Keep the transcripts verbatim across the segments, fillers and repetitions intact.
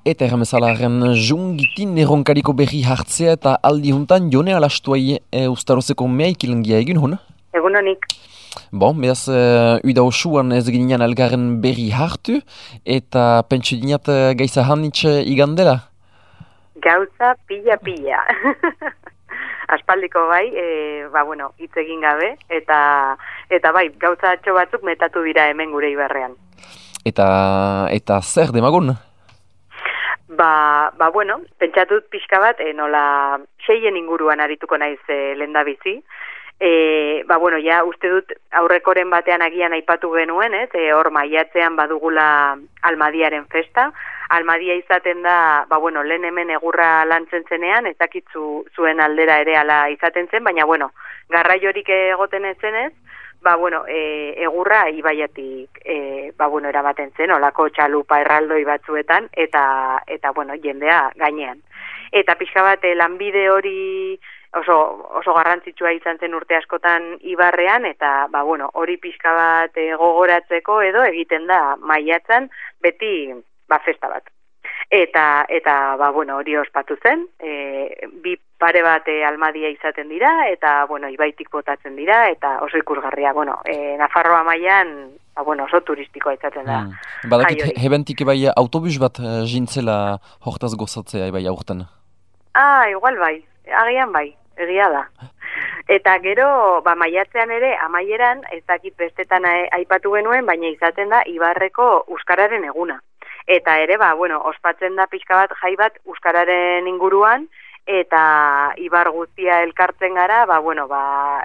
Eta erramezalaren jungitin erronkariko berri hartzea eta aldi juntan jone alastuai e, ustarozeko mehaik ilangia egin hon? Egun honik. Bon, behaz, uh, uida osuan ez ginean elgarren berri hartu eta pentsu dinat uh, gaiza hanitz igandela? Gauza pila-pila. Aspaldiko bai, e, ba bueno, hitz egin gabe, eta eta bai, gauza atxo batzuk metatu dira hemen gure Ibarrean. Eta, eta zer demagun? Ba, ba bueno, pentsatut pixka bat, e, nola seien inguruan arituko naiz e, lehendabizi. E, ba bueno, ja uste dut aurrekoren batean agian aipatu genuen, ez? E, hor maiatzean badugula Almadiaren festa. Almadia izaten da, ba bueno, lehen hemen egurra lantzen zenean, ez dakitzu zuen aldera ere ala izaten zen, baina bueno, garraiorik egoten zenez, ba bueno, e, egurra ibaiatik e, ba bueno, eramaten zen, olako txalupa erraldoi batzuetan, eta eta bueno, jendea gainean. Eta pixka bat e, lanbide hori oso oso garrantzitsua izan zen urte askotan Ibarrean, eta ba bueno, hori pixka bat e, gogoratzeko edo egiten da maiatzan beti ba festa bat. Eta eta ba bueno, hori ospatu zen, e, bi pare bat e, Almadia izaten dira eta bueno, ibaitik botatzen dira eta oso ikusgarria, bueno, e, Nafarroa mailan ba bueno, oso turistikoa izaten da. Hmm. Badakit hebentik bai autobus bat uh, jintzela hortaz gozatzea bai aurten. Ah, igual bai, agian bai, egia da. Eta gero, ba, maiatzean ere, amaieran, ez dakit bestetan aipatu genuen, baina izaten da Ibarreko Euskararen eguna. Eta ere, ba, bueno, ospatzen da pixka bat jai bat Euskararen inguruan, eta Ibar guztia elkartzen gara, ba, bueno, ba,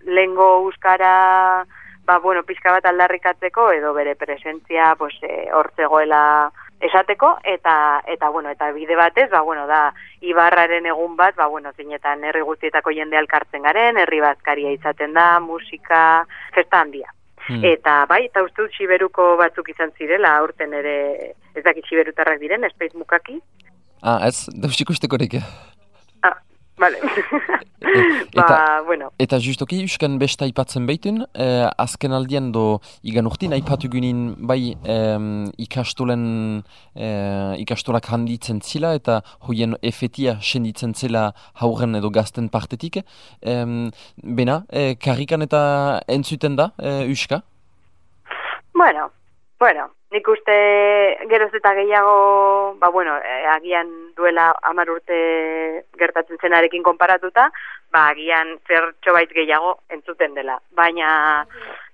lengo Euskara, ba, bueno, pixka bat aldarrikatzeko, edo bere presentzia, pues, e, hortzegoela esateko, eta, eta, bueno, eta bide batez, ba, bueno, da, Ibarraren egun bat, ba, bueno, zinetan herri guztietako jende elkartzen garen, herri bazkaria izaten da, musika, festa handia. Hmm. Eta bai, eta uste dut Siberuko batzuk izan zirela, aurten ere, ez dakit Siberutarrak diren, espeiz mukaki. Ah, ez, dausik ustekorek. Ah, bale. Eta, ba, bueno. Eta justoki, Euskan besta aipatzen behitun, eh, azken aldian do, igan urtin, aipatu gynin, bai, eh, ikastolen, eh, ikastolak handitzen zila, eta hoien efetia senditzen zela hauren edo gazten partetik. Eh, bena, eh, karrikan eta entzuten da, eh, Euska? Bueno, bueno, nik uste geroz eta gehiago, ba bueno, eh, agian duela hamar urte gertatzen zenarekin konparatuta, ba agian zertxo bait gehiago entzuten dela. Baina,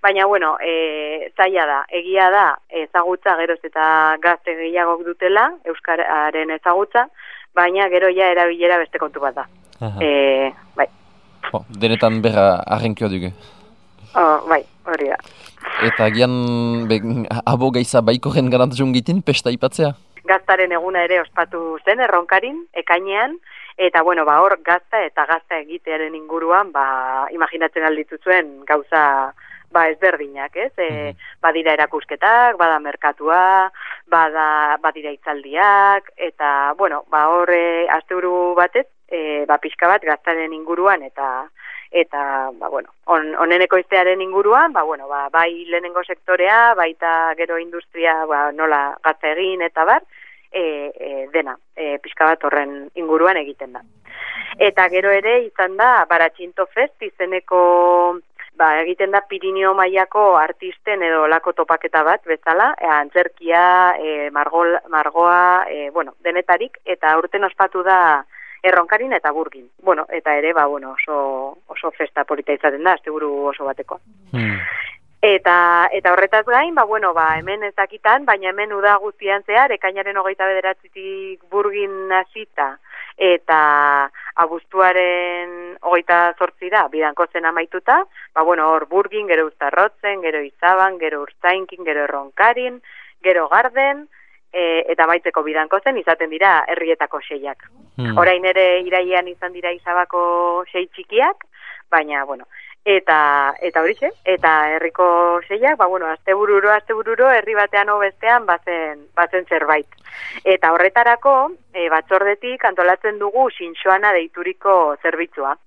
baina bueno, e, zaila da, egia da, ezagutza geroz eta gazte gehiago dutela, Euskararen ezagutza, baina gero ja erabilera beste kontu bat da. E, bai. Oh, denetan berra arrenkioa dugu. Oh, bai, hori da. Eta gian, abo gaiza baikoren garantzun gitin, pesta ipatzea? Gaztaren eguna ere ospatu zen, erronkarin, ekainean, eta bueno, ba hor gazta eta gazta egitearen inguruan, ba imaginatzen aldituzuen gauza ba ezberdinak, ez? E, mm-hmm. Badira erakusketak, bada merkatua, bada badira hitzaldiak, eta bueno, ba hor e, asteburu batez, e, ba pixka bat gaztaren inguruan eta eta ba bueno, on, oneneko iztearen inguruan, ba bueno, ba bai lehenengo sektorea, baita gero industria, ba nola gazta egin eta bar, e, e, dena, e, pixka bat horren inguruan egiten da. Eta gero ere izan da Baratxinto Fest izeneko, ba egiten da Pirinio mailako artisten edo lako topaketa bat bezala, e, antzerkia, e, margol, margoa, e, bueno, denetarik, eta aurten ospatu da Erronkarin eta Burgin. Bueno, eta ere, ba, bueno, oso, oso festa polita izaten da, asteburu oso batekoa. Hmm. Eta, eta horretaz gain, ba, bueno, ba, hemen ez dakitan, baina hemen uda guztian zehar, ekainaren hogeita bederatzitik Burgin hasita, eta abuztuaren hogeita zortzira, bidanko zen amaituta, ba, bueno, hor Burgin, gero Uztarrotzen, gero Izaban, gero Urtzainkin, gero Erronkarin, gero Garden, E, eta baitzeko bidanko zen izaten dira herrietako seiak. Hmm. Orain ere irailean izan dira Izabako sei txikiak, baina, bueno, eta eta horixe, eta herriko seiak, ba, bueno, astebururo, astebururo, herri batean o bestean bazen, bazen zerbait. Eta horretarako, e, batzordetik antolatzen dugu Xinxoana deituriko zerbitzua.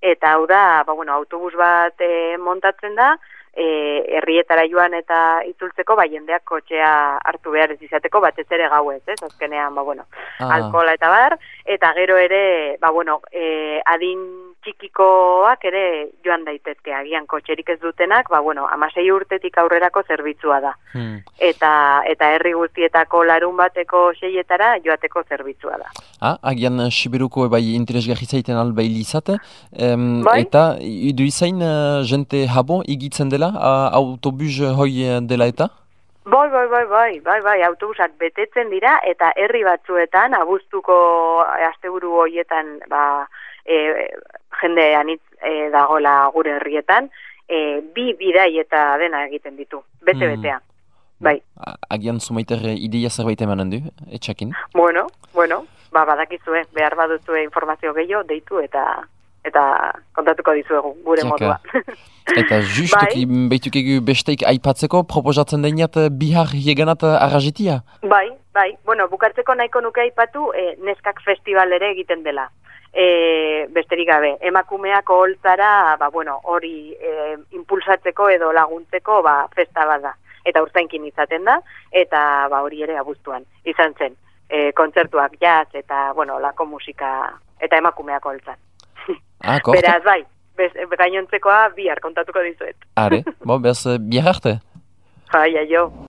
Eta hau da, ba, bueno, autobus bat e, montatzen da, herrietara joan eta itzultzeko, ba, jendeak kotxea hartu behar ez izateko, batez ere gauez, ez? Azkenean, ba, bueno, ah. alkohola eta bar, eta gero ere, ba, bueno, e, adin txikikoak ere joan daitezke, agian kotxerik ez dutenak, ba, bueno, amasei urtetik aurrerako zerbitzua da. Hmm. Eta, eta herri guztietako larun bateko seietara joateko zerbitzua da. Ah, agian Siberuko bai interesgarri zaiten albaili izate, um, bai? Eta idu izain uh, jente habo igitzen dela, uh, autobus hoi dela eta? Bai, bai, bai, bai, bai, bai, autobusak betetzen dira, eta herri batzuetan, abuztuko asteburu horietan, ba, e, jende anitz e, dagoela gure herrietan, e, bi bidai eta dena egiten ditu, bete-betea. Hmm. Bai. Agian zumaiter ideia zerbait emanen du, etxakin? Bueno, bueno, ba, badakizue, behar baduzue informazio gehiago, deitu eta eta kontatuko dizuegu, gure Jaka. Modua. Eta justuki, bai? Behituk egu besteik aipatzeko, proposatzen deniat bihar jeganat arrazitia? Bai, bai, bueno, bukartzeko nahiko nuke aipatu, e, neskak festival ere egiten dela. E, besterik gabe, emakumeak oholtzara, ba, bueno, hori e, impulsatzeko edo laguntzeko, ba, festa bada. Eta urtainkin izaten da, eta ba, hori ere abuztuan izan zen. E, kontzertuak jazz eta, bueno, lako musika eta emakumeak holtzan. Ah, beraz, bai, bez, gainontzekoa bihar kontatuko dizuet. Are, bo, bez, bihar arte? Bai, aio.